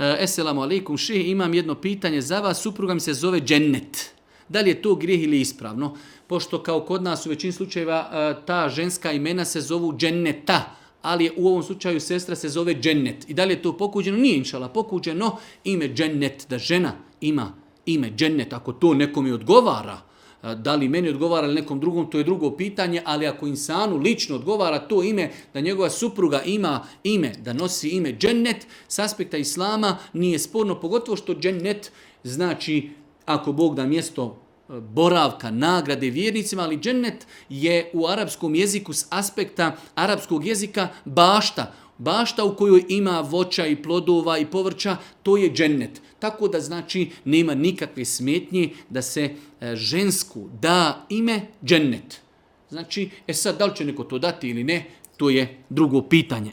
Esselamu alaikum, šeh, imam jedno pitanje za vas, supruga mi se zove Džennet. Da li je to grijeh ili ispravno? Pošto kao kod nas u većini slučajeva ta ženska imena se zovu Dženneta, ali u ovom slučaju sestra se zove Džennet. I da li je to pokuđeno? Nije inšala pokuđeno ime Džennet, da žena ima ime Džennet, ako to nekome odgovara. Da li meni odgovara ili nekom drugom, to je drugo pitanje, ali ako insanu lično odgovara to ime, da njegova supruga ima ime, da nosi ime Džennet, s aspekta islama nije sporno, pogotovo što Džennet znači, ako Bog da, mjesto boravka, nagrade vjernicima, ali Džennet je u arapskom jeziku s aspekta arapskog jezika bašta. Bašta u kojoj ima voća i plodova i povrća, to je Džennet. Tako da znači nema nikakve smetnje da se žensku da ime Džennet. Znači, sad da li će neko to dati ili ne, to je drugo pitanje.